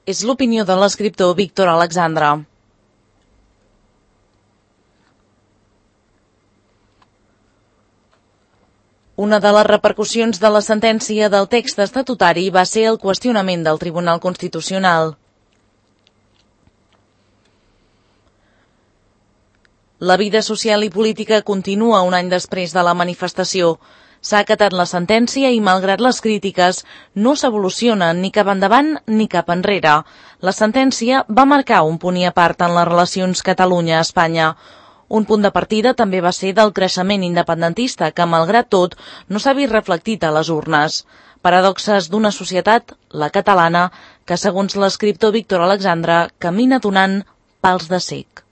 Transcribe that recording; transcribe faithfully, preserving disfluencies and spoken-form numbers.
És l'opinió de l'escriptor Víctor Alexandre. Una de les repercussions de la sentència del text estatutari va ser el qüestionament del Tribunal Constitucional. La vida social i política continua un any després de la manifestació. S'ha acatat la sentència i, malgrat les crítiques, no s'evoluciona ni cap endavant ni cap enrere. La sentència va marcar un punt i a part en les relacions Catalunya-Espanya. Un punt de partida també va ser del creixement independentista que, malgrat tot, no s'ha vist reflectit a les urnes. Paradoxes d'una societat, la catalana, que, segons l'escriptor Víctor Alexandre, camina donant pals de cec.